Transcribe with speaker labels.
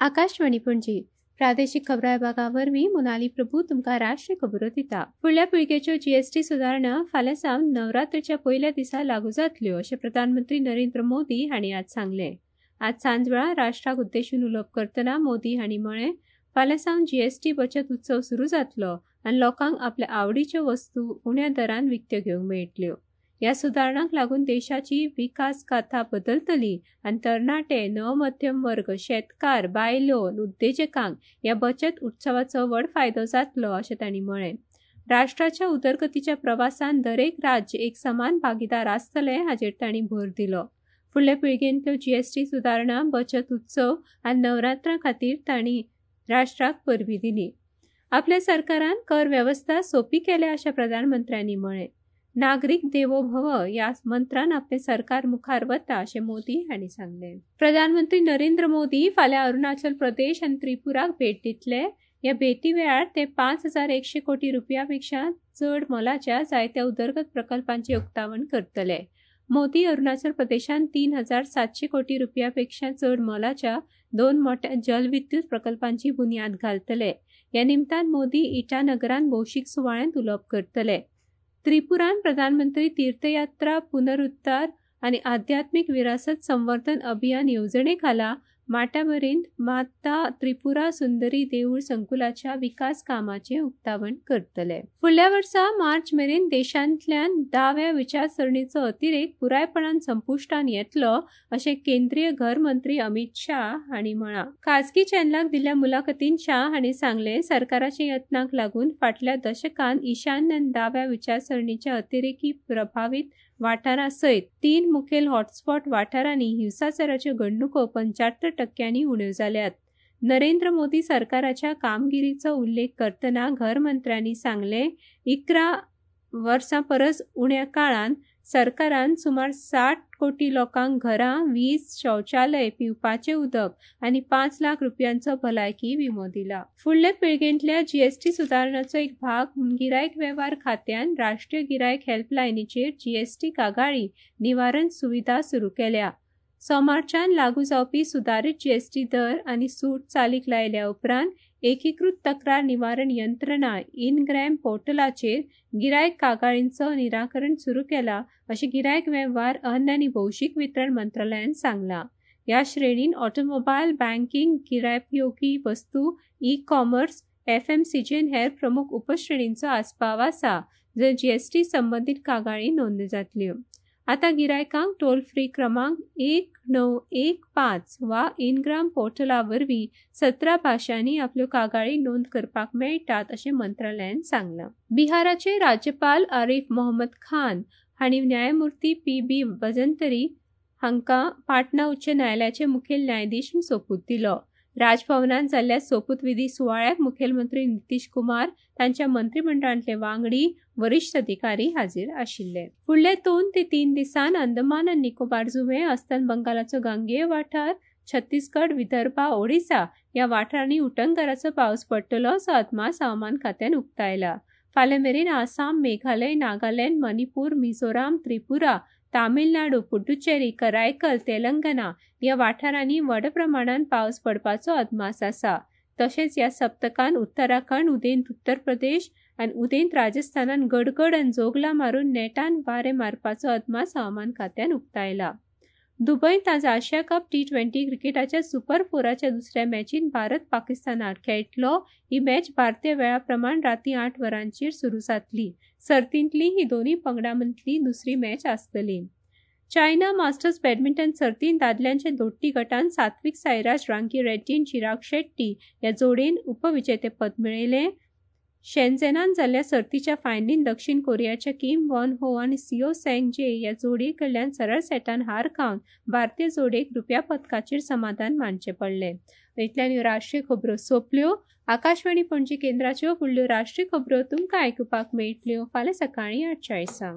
Speaker 1: आकाशवाणी पणजी प्रादेशिक खबरां विभागा वरवीं मोनाली प्रभू तुमकां राष्ट्रीय खबरो दिता. फुडल्या पिळगेच्यो जीएसटी सुदारणा फाल्यां सावन नवरात्रीच्या पयल्या दिसा लागू जातल्यो अशें प्रधानमंत्री नरेंद्र मोदी हांणी आज सांगलें. आज सांजवेळा राष्ट्राक उद्देशून उलोवप करतना मोदी हांणी म्हळें, फाल्यां सावन जीएसटी बचत उत्सव सुरू जातलो आनी लोकांक आपल्या आवडीच्यो वस्तू उण्या दरान विकत्यो घेवंक मेळटल्यो. ह्या सुदारणांक लागून देशाची विकास गाथा बदलतली आनी तरणाटे, नवमध्यम वर्ग, शेतकार, बायलो, उद्देजकांक ह्या बचत उत्सवाचो व्हड फायदो जातलो अशें तांणी म्हळें. राष्ट्राच्या उदरगतीच्या प्रवासान दरेक राज्य एक समान भागीदार आसतलें हाचेर तांणी भर दिलो. फुडल्या पिळगेंतल्यो जीएसटी सुदारणा, बचत उत्सव आनी नवरात्रां खातीर तांणी राष्ट्राक परबीं दिली. आपल्या सरकारान कर वेवस्था सोंपी केल्या अशें प्रधानमंत्र्यांनी म्हळें. नागरीक देवो भव ह्या मंत्रान आपलें सरकार मुखार वता अशें मोदी हांणी सांगलें. प्रधानमंत्री नरेंद्र मोदी फाल्यां अरुणाचल प्रदेश आनी त्रिपुराक भेट दितले. ह्या भेटी वेळार ते 5,100 कोटी रुपया पेक्षा चड मोलाच्या जायत्या उदरगत प्रकल्पांचें उक्तावण करतले. मोदी अरुणाचल प्रदेशांत 3,700 कोटी रुपया पेक्षा चड मोलाच्या 2 मोठ्या जलविद्युत प्रकल्पांची बुन्याद घालतले. ह्या निमतान मोदी इटानगरांत भौशीक सुवाळ्यांत उलोवप करतले. त्रिपुरान प्रधानमंत्री तीर्थयात्रा पुनरुद्धार आनी आध्यात्मिक विरासत संवर्धन अभियान येवजणे खाला माटाबरींत माता त्रिपुरा सुंदरी देऊळ संकुलाच्या विकास कामाचें उक्तावण करतले. फुडल्या वर्सा मार्च मेरेन देशांतल्यान दाव्या विचारसरणीचो अतिरेक पुरायपणान संपुश्टान येतलो अशें केंद्रीय घर मंत्री अमित शाह हांणी म्हळां. खाजगी चॅनलाक दिल्ल्या मुलाखतीन शाह हांणी सांगलें, सरकाराच्या यत्नांक लागून फाटल्या दशकान ईशान्य आनी दाव्या विचारसरणीच्या अतिरेकी प्रभावीत वाठारा सयत 3 मुखेल हॉटस्पॉट वाठारांनी हिंसाचाराच्यो घडणुको 75% उण्यो जाल्यात. नरेंद्र मोदी सरकाराच्या कामगिरीचो उल्लेख करतना घर मंत्र्यांनी सांगलें, 11 वर्सां परस उण्या काळान सरकारान सुमार 60 कोटी लोकांक घरां, वीज, शौचालय, पिवपाचें उदक आनी 5 लाख रुपयांचो भलायकी विमो दिला. फुडले पिळगेंतल्या जीएसटी सुदारणाचो एक भाग म्हूण गिरायक वेव्हार खात्यान राष्ट्रीय गिरायक हेल्पलायनीचेर जीएसटी कागाळी निवारण सुविधा सुरू केल्या. सोमारच्यान लागू जावपी सुदारीत जीएसटी दर आनी सूट चालीक लायल्या उपरांत एकीकृत तक्रार निवारण यंत्रणा इनग्रॅम पोर्टलाचेर गिरायक कागाळींचो निराकरण सुरू केला अशें गिरायक वेव्हार, अन्न आनी भौशीक वितरण मंत्रालयान सांगलां. ह्या श्रेणीन ऑटोमोबायल, बँकिंग, गिरायकोपयोगी वस्तू, ई कॉमर्स, एफएमसीजी आनी हेर प्रमुख उपश्रेणींचो आस्पाव आसा, जंय जीएसटी संबंदीत कागाळी नोंद जातल्यो. आतां गिरायकांक टोल फ्री क्रमांक 1915 वा इनग्राम पोर्टला वरवीं 17 भाशांनी आपल्यो कागाळी नोंद करपाक मेळटात अशें मंत्रालयान सांगलां. बिहाराचे राज्यपाल आरिफ मोहम्मद खान हांणी न्यायमूर्ती पी बी भजंतरी हांकां पाटणा उच्च न्यायालयाचे मुखेल न्यायाधीश म्हूण सोपूत दिलो. राजभवनांत जाल्ल्या सोपूतविधी सुवाळ्याक मुखेलमंत्री नितीश कुमार, तांच्या मंत्रिमंडळांतले वांगडी, वरिश्ठ अधिकारी हाजीर आशिल्ले. फुडले 2 ते 3 दिसान अंदमान आनी निकोबार जुंवे, अस्तंत बंगालाचो गांगेय वाठार, छत्तीसगड, विदर्भा, ओडिसा ह्या वाठारांनी उटंगाराचो पावस पडटलो असो अदमास हवामान खात्यान उक्तायला. फाल्यां मेरेन आसाम, मेघालय, नागालँड, मणिपूर, मिझोराम, त्रिपुरा, तामिळनाडू, पुडुचेरी, करायकल, तेलंगणा ह्या वाठारांनी व्हड प्रमाणात पावस पडपाचो अदमास आसा. तशेंच ह्या सप्तकान उत्तराखंड, उदेंत उत्तर प्रदेश आनी उदेंत राजस्थानान गडगड आनी जोगलां मारून नेटान वारें मारपाचो अदमास हवामान खात्यान उक्तायला. दुबयंत आज आशिया कप T20 क्रिकेटाच्या सुपर 4च्या दुसऱ्या मॅचीन भारत पाकिस्तानाक खेळटलो. ही मॅच भारतीय वेळा प्रमाण राती 8 वरांचेर सुरू जातली. सर्तींतली ही दोनूय पंगडां मदली दुसरी मॅच आसतली. चायना मास्टर्स बॅडमिंटन सर्तींत दादल्यांच्या दोट्टी गटान सात्विक साईराज रांकी रेड्डी आनी चिराग शेट्टी ह्या जोडयेन उपविजेतेपद मेळयलें. शेंझेनान जाल्ल्या सर्तीच्या फायनलीन दक्षिण कोरियाच्या किम वॉन हो आनी सिओ सँग जे ह्या जोडये कडल्यान सरळ सेटान हार खावन भारतीय जोडयेक रुप्या पदकाचेर समाधान मानचें पडलें. इतल्यान ह्यो राष्ट्रीय खबरो सोंपल्यो. आकाशवाणी पणजी केंद्राच्यो फुडल्यो राष्ट्रीय खबरो तुमकां आयकुपाक मेळटल्यो फाल्यां सकाळीं 8:40.